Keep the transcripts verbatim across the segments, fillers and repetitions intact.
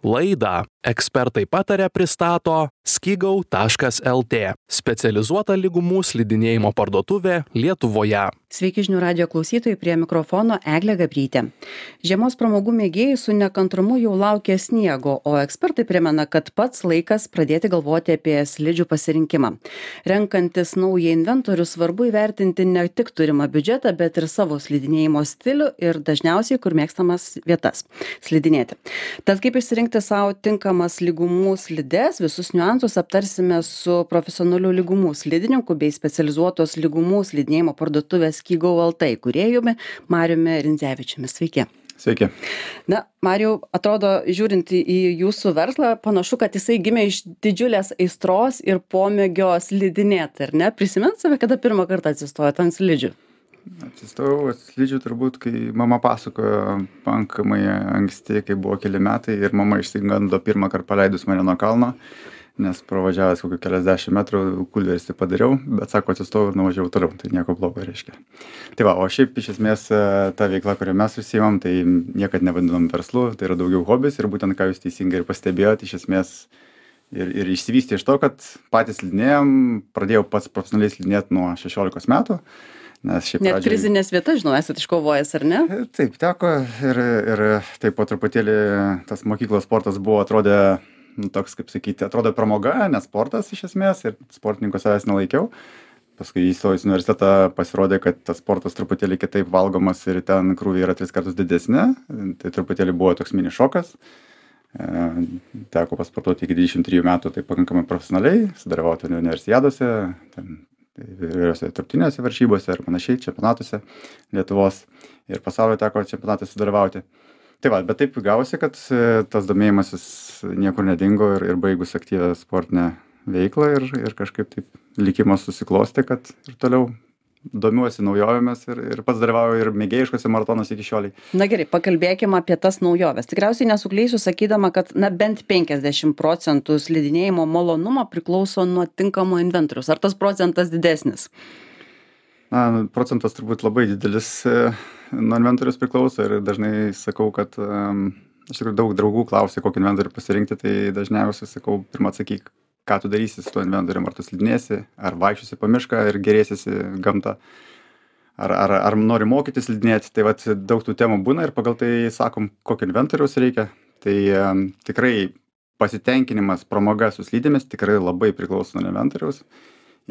Laidą Ekspertai pataria pristato skigau taškas lt, specializuota lygumų slidinėjimo parduotuvė Lietuvoje. Sveiki žinių radijo klausytojai, prie mikrofono Eglė Gabrytė. Žiemos pramogų mėgėjai su nekantrumu jau laukia sniego, o ekspertai primena, kad pats laikas pradėti galvoti apie slidžių pasirinkimą. Renkantis naują inventorių svarbu įvertinti ne tik turimą biudžetą, bet ir savo slidinėjimo stilių ir dažniausiai kur mėgstamas vietas slidinėti. Tad kaip išsirinkti savo tinkamas lygumų slides, visus niuansus aptarsime su profesionaliu lygumų slidininku bei specializuotos lygumų slidinėjimo parduotuvės skigau lt įkūrėjumi Mariumi Rindzevičiumi. Sveiki. Sveiki. Na, Mariau, atrodo, žiūrint į jūsų verslą, panašu, kad jisai gimė iš didžiulės aistros ir pomėgio slidinėti, ar ne? Prisimint save, kada pirmą kartą atsistojot ant slidžių? Atsistojau ant slidžių turbūt, kai mama pasakojo pakankamai anksti, kai buvo keli metai ir mama išsigando pirmą kartą paleidus mane nuo kalno, nes pravažiavęs kokių keliasdešimt metrų kulverstį padariau, bet sako, atsistojau ir nuvažiavau toliau, tai nieko blogo reiškia. Tai va, o šiaip iš esmės ta veikla, kurią mes užsiimam, tai niekad nevadinom verslu, tai yra daugiau hobis ir būtent ką jūs teisingai ir pastebėjote, iš esmės ir, ir išsivystė iš to, kad patys slidinėjom, pradėjau pats profesionaliai slidinėti nuo šešiolikos metų. Nes šiaip Net pradžiai... prizinės vietas, žinau, esat iškovojęs, ar ne? Taip, teko ir, ir taip po truputėlį tas mokyklos sportas buvo atrodė, nu, toks, kaip sakyti, atrodo pramoga, nes sportas iš esmės ir sportininko savęs nelaikiau. Paskui įstojus į universitetą pasirodė, kad tas sportas truputėlį kitaip valgomas ir ten krūviai yra tris kartus didesni. Tai truputėlį buvo toks mini šokas. E, teko pasportuoti iki dvidešimt trijų metų, tai pakankamai profesionaliai, sudalyvauti universiadose, ten įvairiose tarptautinėse varžybose ir panašiai, čempionatuose Lietuvos ir pasaulio teko čempionatuose sudalyvauti. Tai va, bet taip gavosi, kad tas domėjimasis niekur nedingo ir, ir baigus aktyvę sportinę veiklą ir, ir kažkaip taip likimas susiklosti, kad ir toliau domiuosi naujovėmis ir, ir pats dalyvauju ir mėgėjiškose maratonuose iki šioliai. Na gerai, pakalbėkime apie tas naujoves. Tikriausiai nesukleisiu sakydama, kad na, bent penkiasdešimt procentų slidinėjimo malonumo priklauso nuo tinkamo inventoriaus. Ar tas procentas didesnis? Na, procentas turbūt labai didelis nuo inventorius priklauso ir dažnai sakau, kad um, iš tikrųjų daug draugų klausia, kokį inventorių pasirinkti, tai dažniausiai sakau, pirmą atsakyk, ką tu darysi su tuo inventorium, ar tu slidinėsi, ar vaikščiosi po mišką ir gerėsiesi gamtą, ar, ar, ar nori mokytis slidinėti, tai vat daug tų temų būna ir pagal tai sakom, kokio inventoriaus reikia, tai um, tikrai pasitenkinimas pramoga su slidėmis tikrai labai priklauso nuo inventoriaus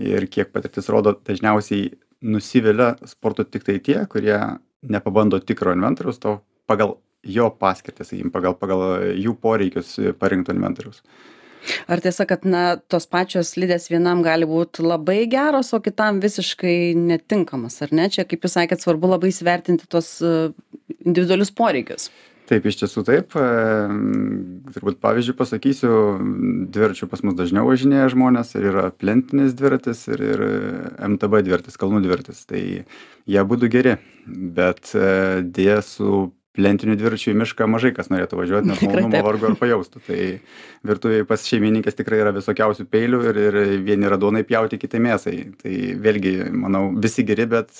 ir kiek patirtis rodo, dažniausiai nusivilia sporto tik tai tie, kurie nepabando tikro inventoriaus, to pagal jo paskirtį, sakykim, pagal, pagal jų poreikius parinkto inventoriaus. Ar tiesa, kad na, tos pačios slidės vienam gali būti labai geros, o kitam visiškai netinkamas, ar ne? Čia, kaip jūs sakėt, svarbu labai įsivertinti tos individualius poreikius. Taip, iš tiesų taip. Turbūt pavyzdžiui pasakysiu, dviračių pas mus dažniau važinėja žmonės ir yra plentinis dviratis ir, ir M T B dviratis, kalnų dviratis. Tai jie būtų geri, bet dėja su plentiniu dviračiu į mišką mažai kas norėtų važiuoti, nes malonumo vargu ar pajaustų. Tai virtuvėje pas šeimininkės tikrai yra visokiausių peilių ir, ir vieni radonai pjauti, kiti mėsai. Tai vėlgi, manau, visi geri, bet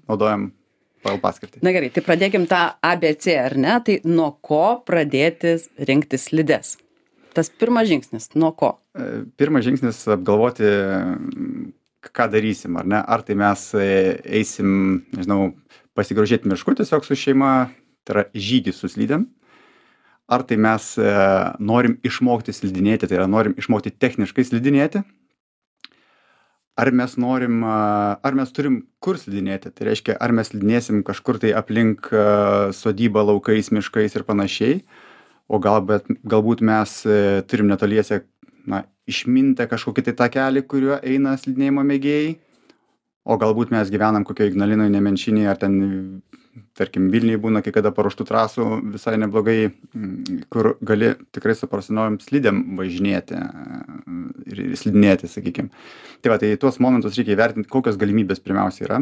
naudojam pagal paskirtį. Na gerai, tai pradėkim tą A B C, ar ne? Tai nuo ko pradėti rinkti slides? Tas pirmas žingsnis, nuo ko? Pirmas žingsnis apgalvoti, ką darysim, ar ne? Ar tai mes eisim, nežinau, pasigrožėti mišku tiesiog su šeima, tai yra žygis su slidėm. Ar tai mes e, norim išmokti slidinėti, tai yra norim išmokti techniškai slidinėti. Ar mes norim, ar mes turim kur slidinėti, tai reiškia, ar mes slidinėsim kažkur tai aplink sodybą, laukais, miškais ir panašiai, o gal, bet, galbūt mes turim netoliese, na, išmintę kažkokį tai takelį, kuriuo eina slidinėjimo mėgėjai, o galbūt mes gyvenam kokio Ignalinoje, Nemenčinėje, ar ten, tarkim, Vilniuje būna kai kada paruoštų trasų visai neblogai, kur gali tikrai su profesionaliom slidėm važinėti ir slidinėti, sakykim. Tai va, tai tuos momentus reikia įvertinti, kokios galimybės pirmiausia yra,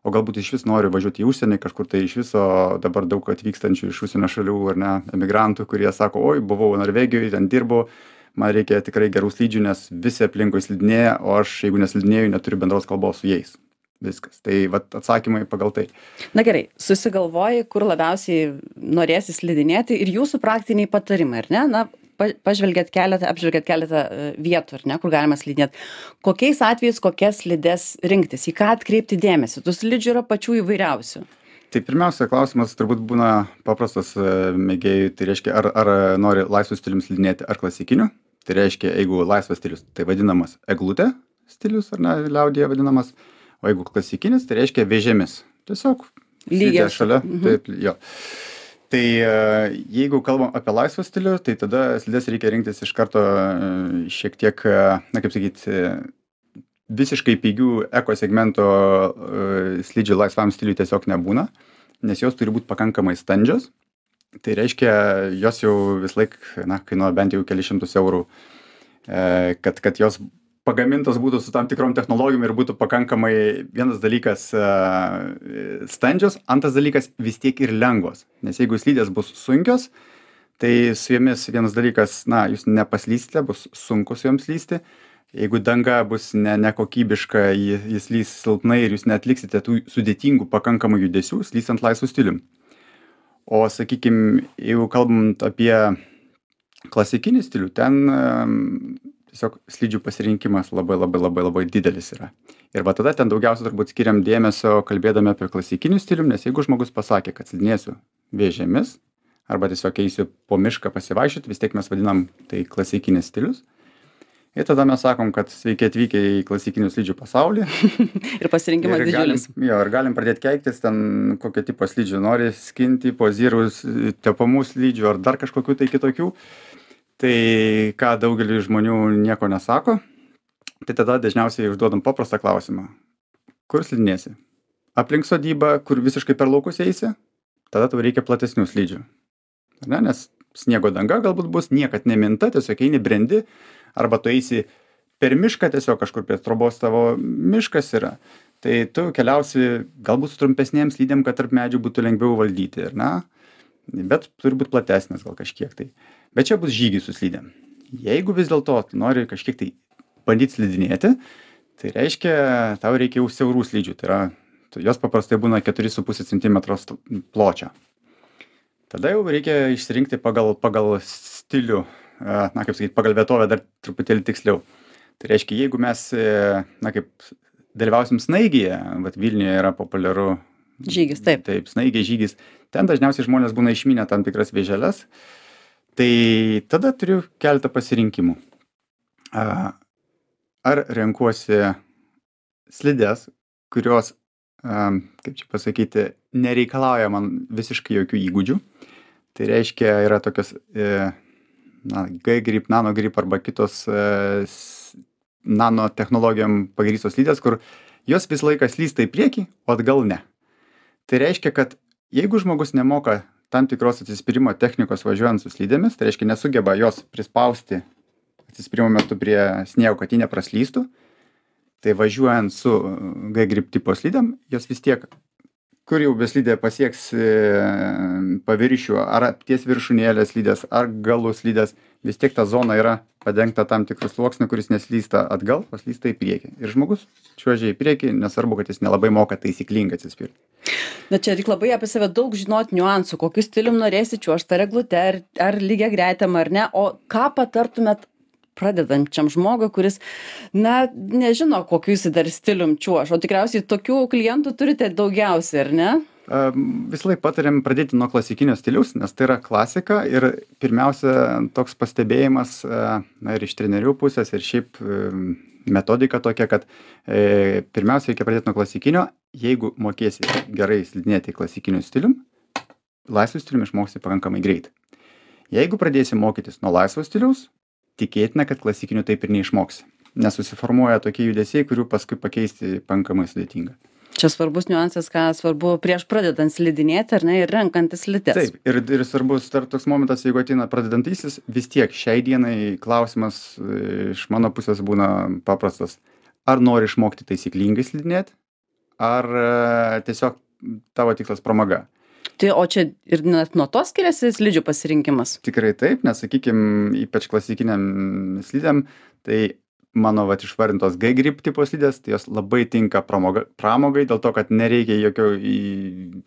o galbūt iš vis noriu važiuoti į užsienį, kažkur tai iš viso dabar daug atvykstančių iš užsienio šalių, ar ne, emigrantų, kurie sako, oi, buvau Norvegijoje, ten dirbu, man reikia tikrai gerų slidžių, nes visi aplinkui slidinėja, o aš, jeigu neslidinėju, neturiu bendros kalbos su jais. Viskas. Tai vat, atsakymai pagal tai. Na gerai, susigalvoji, kur labiausiai norėsi slidinėti ir jūsų praktiniai patarimai, ar ne? Na, pa pažvelgėt keletą apžvelgėt keletą e, vietų, ar ne, kur galima slidinėt. Kokiais atvejais kokias slides rinktis, į ką atkreipti dėmesį? Tų slidžių yra pačių įvairiausių. Tai pirmiausia, klausimas turbūt būna paprastas e, mėgėjui, tai reiškia, ar, ar nori laisvų stilium slidinėti, ar klasikiniu. Tai reiškia, jeigu laisvas stilius, tai vadinamas eglutė stilius, ar ne, liaudyje vadinamas, o jeigu klasikinis, tai reiškia vėžėmis. Tiesiog slidė šalia. Mhm. Taip, jo. Tai jeigu kalbam apie laisvą stilių, tai tada slides reikia rinktis iš karto šiek tiek, na kaip sakyti, visiškai pigių ekosegmento slidžių laisvam stiliui tiesiog nebūna, nes jos turi būti pakankamai standžios. Tai reiškia, jos jau vis laik, na, kainuoja bent jau keli šimtus eurų, kad, kad jos pagamintos būtų su tam tikrom technologijom ir būtų pakankamai vienas dalykas standžios, antras dalykas vis tiek ir lengvos. Nes jeigu slidės bus sunkios, tai su jomis vienas dalykas, na, jūs nepaslysite, bus sunku su joms slysti. Jeigu danga bus ne, nekokybiška, jis lys silpnai ir jūs neatliksite tų sudėtingų pakankamų judesių, slystant laisvų stilium. O, sakykime, jeigu kalbant apie klasikinį stilių, ten tiesiog slidžių pasirinkimas labai labai labai labai didelis yra. Ir va tada ten daugiausia turbūt skiriam dėmesio kalbėdami apie klasikinių stilių, nes jeigu žmogus pasakė, kad slidinėsiu vėžėmis, arba tiesiog eisiu po mišką pasivaikščioti, vis tiek mes vadinam tai klasikinis stilius. Ir tada mes sakom, kad sveiki atvykę į klasikinių slidžių pasaulį. Ir pasirinkimas ir didžiulis. Galim, jo, ir galim pradėti keiktis ten, kokio tipo slidžių nori, skinti, pozyrus, tepamų slidžių ar dar kažkokių tai kitokių. Tai ką daugeliui žmonių nieko nesako, tai tada dažniausiai užduodam paprastą klausimą. Kur slidinėsi? Aplink sodybą, kur visiškai per laukus eisi, tada tau reikia platesnių slidžių. Ar ne? Nes sniego danga galbūt bus, niekad neminta, tiesiog eini brendi, arba tu eisi per mišką, tiesiog kažkur prie trobos tavo miškas yra. Tai tu keliausi galbūt su trumpesnėm slidėm, kad tarp medžių būtų lengviau valdyti, ar ne? Bet turi būti platesnės gal kažkiek tai. Bet čia bus žygis su slidėm. Jeigu vis dėlto nori kažkiek tai bandyti slidinėti, tai reiškia, tau reikia jau siaurų slidžių. Tai yra, jos paprastai būna keturi su puse centimetro pločio. Tada jau reikia išsirinkti pagal, pagal stilių, na kaip sakyti, pagal vietovę dar truputėlį tiksliau. Tai reiškia, jeigu mes, na kaip, dalyvausim snaigėje, vat Vilniuje yra populiaru žygis, taip. Taip, snaigė žygis. Ten dažniausiai žmonės būna išmynę tam tikras vėželes. Tai tada turiu keletą pasirinkimų. Ar renkuosi slides, kurios, kaip čia pasakyti, nereikalauja man visiškai jokių įgūdžių. Tai reiškia, yra tokios na, G-grip, nano-grip arba kitos nanotechnologijom pagrįstos slidės, kur jos visą laiką slysta į priekį, o atgal ne. Tai reiškia, kad jeigu žmogus nemoka tam tikros atsispyrimo technikos važiuojant su slidėmis, tai reiškia nesugeba jos prispausti atsispyrimo metu prie sniego, kad ji nepraslystų, tai važiuojant su G-grip tipo slidėm, jos vis tiek, kur jau beslidė pasieks paviršių, ar ties viršūnėlės slidės, ar galų slidės, vis tiek ta zona yra padengta tam tikrų sluoksnių, kuris neslysta atgal, o slysta į priekį. Ir žmogus čiuožia į priekį, nesvarbu, kad jis nelabai moka taisyklingai atsispirti. Na čia reikia labai apie save daug žinoti niuansų, kokiu stilium norėsi čiuožti, ar eglute, ar, ar lygia gretim, ar ne, o ką patartumėt pradedančiam žmogui, kuris, na, nežino, kokiu jis dar stilium čiuoš, o tikriausiai tokių klientų turite daugiausiai, ar ne? Visą laiką patariam pradėti nuo klasikinio stiliaus, nes tai yra klasika ir pirmiausia toks pastebėjimas, na ir iš trenerių pusės ir šiaip metodika tokia, kad e, pirmiausia reikia pradėti nuo klasikinio, jeigu mokėsi gerai slidinėti klasikiniu stilium, laisvu stilium išmoksi pakankamai greit. Jeigu pradėsi mokytis nuo laisvo stiliaus, tikėtina, kad klasikiniu taip ir neišmoksi, nes susiformuoja tokie judesiai, kurių paskui pakeisti pakankamai sudėtinga. Čia svarbus niuansas, ką svarbu prieš pradedant slidinėti, ar ne, ir renkantis slides. Taip, ir, ir svarbus dar toks momentas, jeigu ateina pradedantysis, vis tiek šiai dienai klausimas iš mano pusės būna paprastas. Ar nori išmokti taisyklingai slidinėti, ar tiesiog tavo tikslas pramoga? Tai o čia ir net nuo to skiriasi slidžių pasirinkimas? Tikrai taip, nes sakykime, ypač klasikiniam slidėm, tai mano vat išvardintos G-grip tipo slidės, tai jos labai tinka pramoga, pramogai, dėl to, kad nereikia jokio,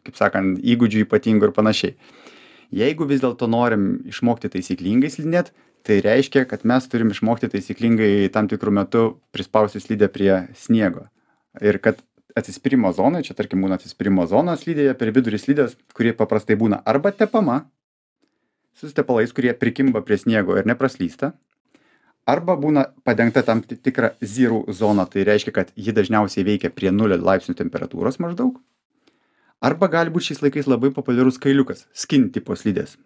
kaip sakant, įgūdžių ypatingų ir panašiai. Jeigu vis dėlto norim išmokti taisyklingai slidinėti, Tai reiškia, kad mes turim išmokti taisyklingai tam tikrų metų prispausti slidę prie sniego. Ir kad atsispyrimo zonai, čia tarkim būna atsispyrimo zona slidėje, per vidurį slidės, kurie paprastai būna arba tepama, su tepalais, kurie prikimba prie sniego ir nepraslysta, arba būna padengta tam tikra zero zona, tai reiškia, kad ji dažniausiai veikia prie nulio laipsnių temperatūros maždaug. Arba gali būti šiais laikais labai populiarus kailiukas, skin tipo slidės.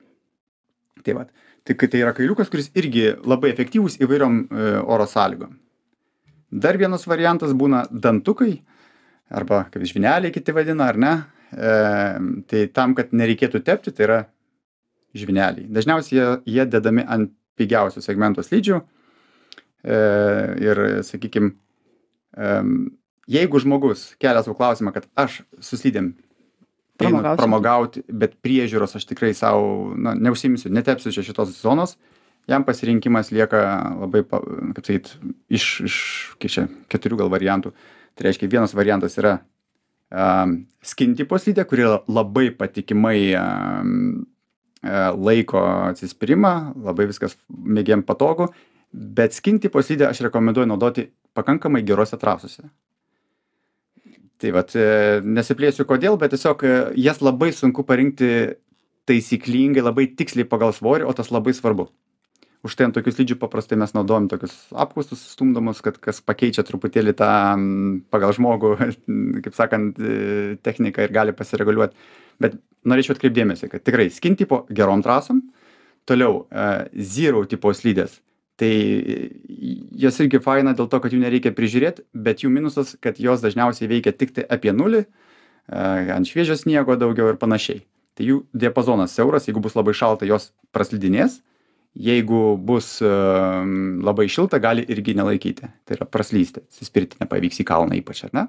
Tai va, tai, tai yra kailiukas, kuris irgi labai efektyvus įvairiom e, oro sąlygom. Dar vienas variantas būna dantukai, arba kaip žvyneliai kiti vadina, ar ne? E, tai tam, kad nereikėtų tepti, tai yra žvyneliai. Dažniausiai jie, jie dedami ant pigiausių segmento slidžių. E, ir, sakykime, e, jeigu žmogus kelia savo klausimą, kad aš su slidėm einu pramogauti, bet priežiūros aš tikrai savo, na, neužsimsiu, netepsiu čia šitos zonos, jam pasirinkimas lieka labai, kaip sakyt, iš, iš kiek čia, keturių gal variantų. Tai reiškia, vienas variantas yra um, skin tipo slidė, kuri labai patikimai um, laiko atsispyrimą, labai viskas mėgėjam patogu, bet skin tipo slidę aš rekomenduoju naudoti pakankamai gerose trasose. Tai vat, nesiplėsiu kodėl, bet tiesiog jas labai sunku parinkti taisyklingai, labai tiksliai pagal svorį, o tas labai svarbu. Už tai ant tokių slidžių paprastai mes naudojam tokius apkaustus stumdomus, kad kas pakeičia truputėlį tą pagal žmogų, kaip sakant, techniką ir gali pasireguliuoti. Bet norėčiau atkreipdėmėsi, kad tikrai skin tipo gerom trasom, toliau zero tipo slidės. Tai jos irgi faina dėl to, kad jų nereikia prižiūrėti, bet jų minusas, kad jos dažniausiai veikia tik tai apie nulį, ant šviežio sniego daugiau ir panašiai. Tai jų diapazonas siauras, jeigu bus labai šalta, jos praslidinės, jeigu bus labai šilta, gali irgi nelaikyti. Tai yra praslysti, atsispirti nepavyks į kalną ypač, ar ne?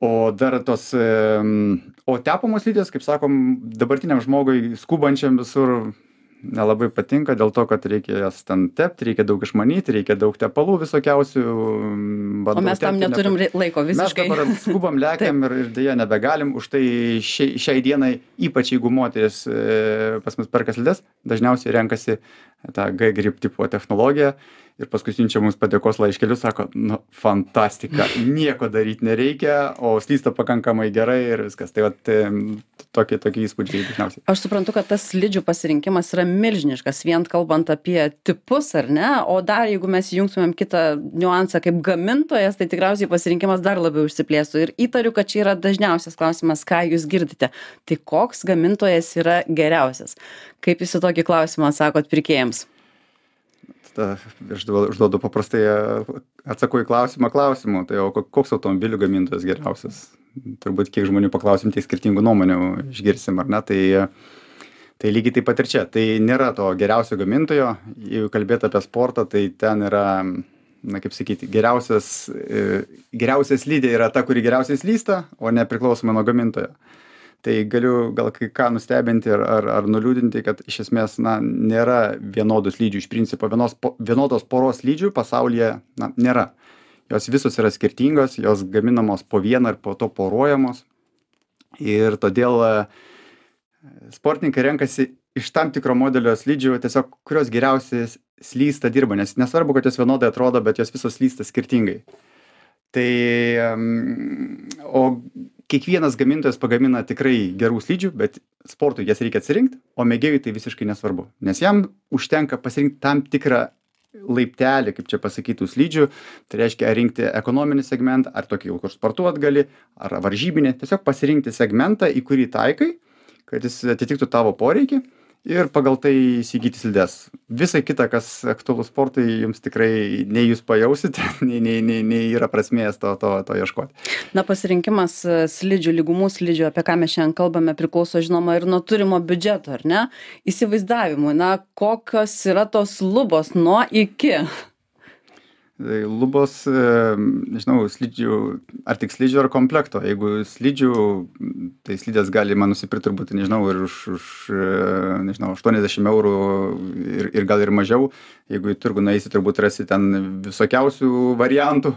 O dar tos, o tepamos slidės, kaip sakom, dabartiniam žmogui skubančiam visur nelabai patinka dėl to, kad reikia jas ten tepti, reikia daug išmanyti, reikia daug tepalų visokiausių. O mes tam neturim nepa... laiko visiškai. Mes dabar skubam, lekiam ir, ir dėja nebegalim. Už tai šiai, šiai dienai, ypač jeigu moteris e, pas mus perka slides, dažniausiai renkasi tą G-grip tipo technologiją ir paskui siunčia mums padėkos laiškelius, sako, nu, fantastika, nieko daryti nereikia, o slysta pakankamai gerai ir viskas. Tai vat, tokie, tokie įspūdžiai dažniausiai. Aš suprantu, kad tas slidžių pasirinkimas yra milžiniškas, vien kalbant apie tipus, ar ne? O dar, jeigu mes jungtumėm kitą niuansą kaip gamintojas, tai tikriausiai pasirinkimas dar labiau išsiplėstų. Ir įtariu, kad čia yra dažniausias klausimas, ką jūs girdite. Tai koks gamintojas yra geriausias? Kaip jūs į tokį klausimą atsakot pirkėjams? Tada aš užduodu paprastai, atsakau į klausimą klausimu, tai o koks automobilių gamintojas geriausias? Turbūt kiek žmonių paklausim, tiek skirtingų nuomonių išgirsim, ar ne? Tai, tai lygiai taip pat ir čia. Tai nėra to geriausio gamintojo, jeigu kalbėt apie sportą, tai ten yra, na kaip sakyti, geriausias, geriausias slidė yra ta, kuri geriausiai slysta, o nepriklausomai nuo gamintojo. Tai galiu gal kai ką nustebinti ar, ar, ar nuliūdinti, kad iš esmės na, nėra vienodų slidžių. Iš principo vienos, po, vienodos poros slidžių pasaulyje na, nėra. Jos visos yra skirtingos, jos gaminamos po vieną ir po to poruojamos. Ir todėl sportininkai renkasi iš tam tikro modelio slidžių, tiesiog kurios geriausiai slysta dirba. Nes nesvarbu, kad jos vienodai atrodo, bet jos visos slysta skirtingai. Tai, o kiekvienas gamintojas pagamina tikrai gerų slidžių, bet sportui jas reikia atsirinkti, o mėgėjui tai visiškai nesvarbu. Nes jam užtenka pasirinkti tam tikrą laiptelį, kaip čia pasakytų, slidžių, tai reiškia rinkti ekonominį segmentą, ar tokį, kur sportuot gali, ar varžybinį, tiesiog pasirinkti segmentą, į kurį taikai, kad jis atitiktų tavo poreikį ir pagal tai įsigyti slides. Visai kita, kas aktualų sportui, jums tikrai nei jūs pajausite, nei, nei, nei, nei yra prasmės to, to, to ieškoti. Na, pasirinkimas slidžių, lygumų slidžių, apie ką mes šiandien kalbame, priklauso, žinoma, ir nuo turimo biudžeto, ar ne? Įsivaizdavimui, na, kokios yra tos lubos nuo iki? Lubos, nežinau, slidžių, ar tik slidžių ar komplekto. Jeigu slidžių, tai slidės galima nusipirkti turbūt, nežinau, ir už, už nežinau, aštuoniasdešimt eurų ir, ir gal ir mažiau. Jeigu į turgų nueisi, turbūt rasi ten visokiausių variantų.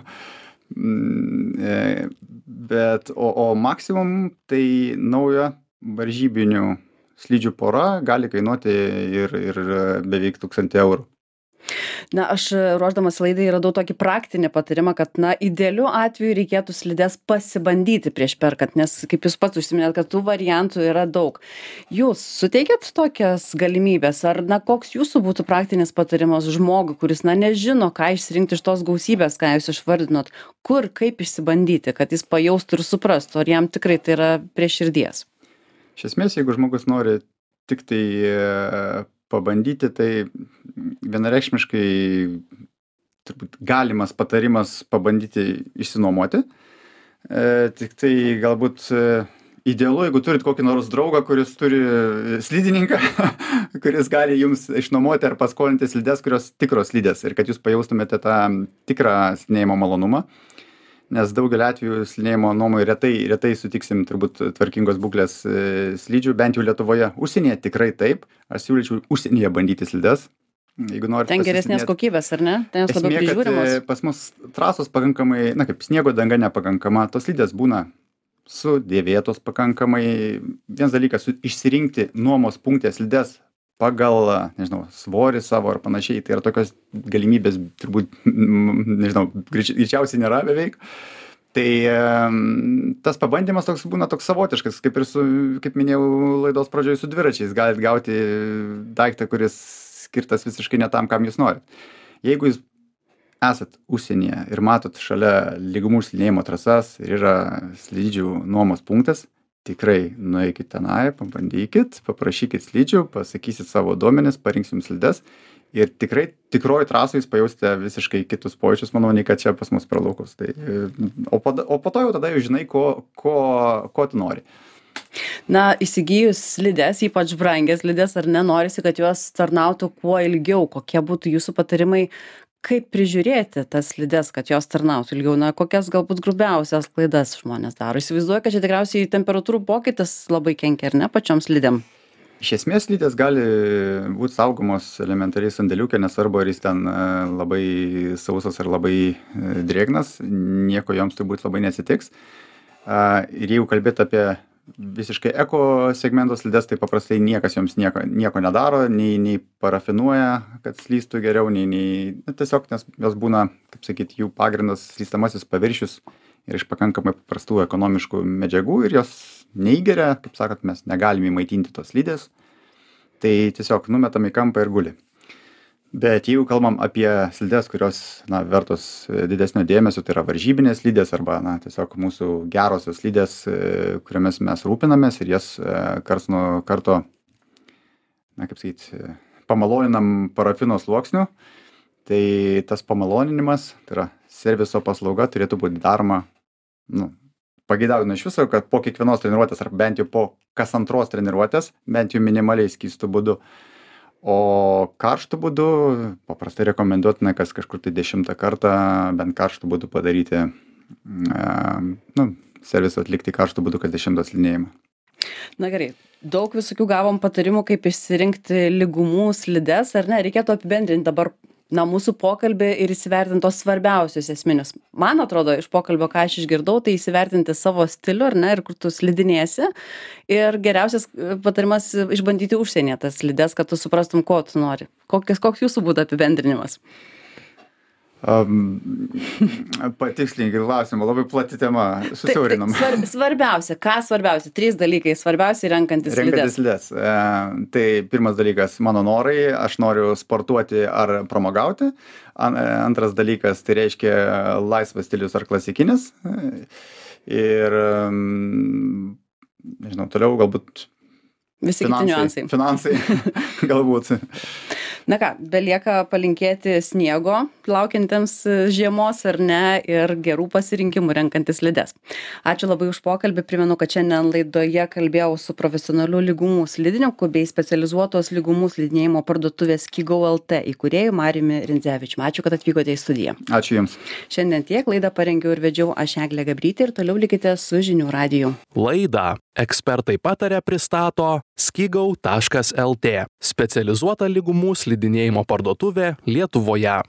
Bet, o, o maksimum tai naujo varžybinių slidžių pora gali kainuoti ir, ir beveik tūkstantį eurų. Na, aš ruoždamas laidai radau tokį praktinį patarimą, kad, na, idealiu atveju reikėtų slides pasibandyti prieš perkant, nes, kaip jūs pats užsiminėt, kad tų variantų yra daug. Jūs suteikėt tokias galimybės, ar, na, koks jūsų būtų praktinis patarimas žmogui, kuris, na, nežino, ką išsirinkti iš tos gausybės, ką jūs išvardinot, kur, kaip išsibandyti, kad jis pajaustų ir suprastų, ar jam tikrai tai yra prie širdies? Iš esmės, jeigu žmogus nori tik tai pabandyti, tai vienareikšmiškai turbūt galimas patarimas pabandyti išsinuomoti. E, tik tai galbūt idealu, jeigu turit kokį nors draugą, kuris turi slidininką, kuris gali jums išnuomoti ar paskolinti slides, kurios tikros slidės ir kad jūs pajaustumėte tą tikrą slidinėjimo malonumą. Nes daugelį atvejų slidinėjimo nuomoj retai, retai sutiksim turbūt tvarkingos būklės slidžių, bent jau Lietuvoje. Užsienyje tikrai taip. Aš siūlyčiau užsienyje bandyti slides. Jeigu norite ten geresnės kokybės, ar ne? Ten jos labiau prižiūrimos. Pas mus trasos pakankamai, na kaip sniego danga nepakankama, tos slidės būna sudėvėtos pakankamai. Vienas dalykas, išsirinkti nuomos punkte slides pagal, nežinau, svorį savo ar panašiai, tai yra tokios galimybės turbūt, nežinau, greičiausiai nėra beveik. Tai tas pabandymas toks būna toks savotiškas, kaip ir su, kaip minėjau laidos pradžioje, su dviračiais. Galit gauti daiktą, kuris skirtas visiškai ne tam, kam jūs norit. Jeigu jūs esat užsienyje ir matot šalia lygumų slidinėjimo trasas ir yra slidžių nuomos punktas, tikrai nueikit tenai, pabandykit, paprašykit slidžių, pasakysit savo duomenis, parinksim slides ir tikrai tikroji trasoj jūs pajausite visiškai kitus pojūčius, manau, nei kad čia pas mus per laukus. Tai, o, po, o po to jau tada jau žinai, ko, ko, ko tu nori. Na, įsigijus slides, ypač brangias slides, ar ne, norisi, kad jos tarnautų kuo ilgiau. Kokie būtų jūsų patarimai, kaip prižiūrėti tas slides, kad jos tarnautų ilgiau? Na, kokias galbūt grubiausias klaidas žmonės daro? Įsivaizduoju, kad čia tikriausiai temperatūrų pokytis labai kenkia, ar ne, pačioms slidėm? Iš esmės slidės gali būti saugomos elementariai sandėliukė, nesvarbu, ar jis ten labai sausas ar labai drėgnas, nieko joms turbūt labai neatsitiks. Ir jeigu kalbėti apie visiškai eko segmento slides, tai paprastai niekas joms nieko, nieko nedaro, nei, nei parafinuoja, kad slystų geriau, nei, nei na, tiesiog, nes jos būna, kaip sakyti, jų pagrindas slystamasis paviršius ir iš pakankamai paprastų ekonomiškų medžiagų ir jos neįgeria, kaip sakot, mes negalime įmaitinti tos slidės, tai tiesiog numetam į kampą ir guli. Bet jeigu kalbam apie slides, kurios, na, vertos didesnio dėmesio, tai yra varžybinės slidės arba, na, tiesiog mūsų gerosios slidės, kuriomis mes rūpinamės ir jas karts nuo karto, na, kaip sakyti, pamaloninam parafino sluoksniu, tai tas pamaloninimas, tai yra serviso paslauga, turėtų būti daroma, nu, pageidautina iš viso, kad po kiekvienos treniruotės ar bent jau po kas antros treniruotės, bent jau minimaliai skystų būdu. O karštų būdu paprastai rekomenduotina, kas kažkur tai dešimtą kartą bent karštų būdu padaryti, nu, servisą atlikti karštų būdu, kas dešimtą slidinėjimą. Na gerai, daug visokių gavom patarimų, kaip išsirinkti lygumų slides, ar ne? Reikėtų apibendrinti dabar, na, mūsų pokalbį ir įsivertinti tos svarbiausius esminius. Man atrodo, iš pokalbio, ką aš išgirdau, tai įsivertinti savo stilių, ar ne, ir kur tu slidinėsi. Ir geriausias patarimas išbandyti užsienyje tas slides, kad tu suprastum, ko tu nori. Kokias, koks jūsų būtų apibendrinimas? Um, patikslinkit klausimą, labai plati tema, susiaurinam. Tai, tai svarbiausia, ką svarbiausia? Trys dalykai, svarbiausia renkantis slides. Renkantis slides. E, tai pirmas dalykas, mano norai, aš noriu sportuoti ar pramogauti. An, antras dalykas, tai reiškia laisvas stilius ar klasikinis. Ir, nežinau, toliau galbūt visi kiti niuansai. Finansai, galbūt. Na ką, belieka palinkėti sniego laukiantiems žiemos ar ne ir gerų pasirinkimų renkantis slides. Ačiū labai už pokalbį. Primenu, kad šiandien laidoje kalbėjau su profesionaliu lygumų slidininku bei specializuotos lygumų slidinėjimo parduotuvės Skigau L T įkūrėju Mariumi Rindzevičiumi. Ačiū, kad atvykote į studiją. Ačiū Jums. Šiandien tiek, laidą parengiau ir vedžiau aš Eglė Gabrytė ir toliau likite su Žinių radiju. Laidą ekspertai pataria pristato skigau taškas L T, specializuota lygumų slidinėjimo parduotuvė Lietuvoje.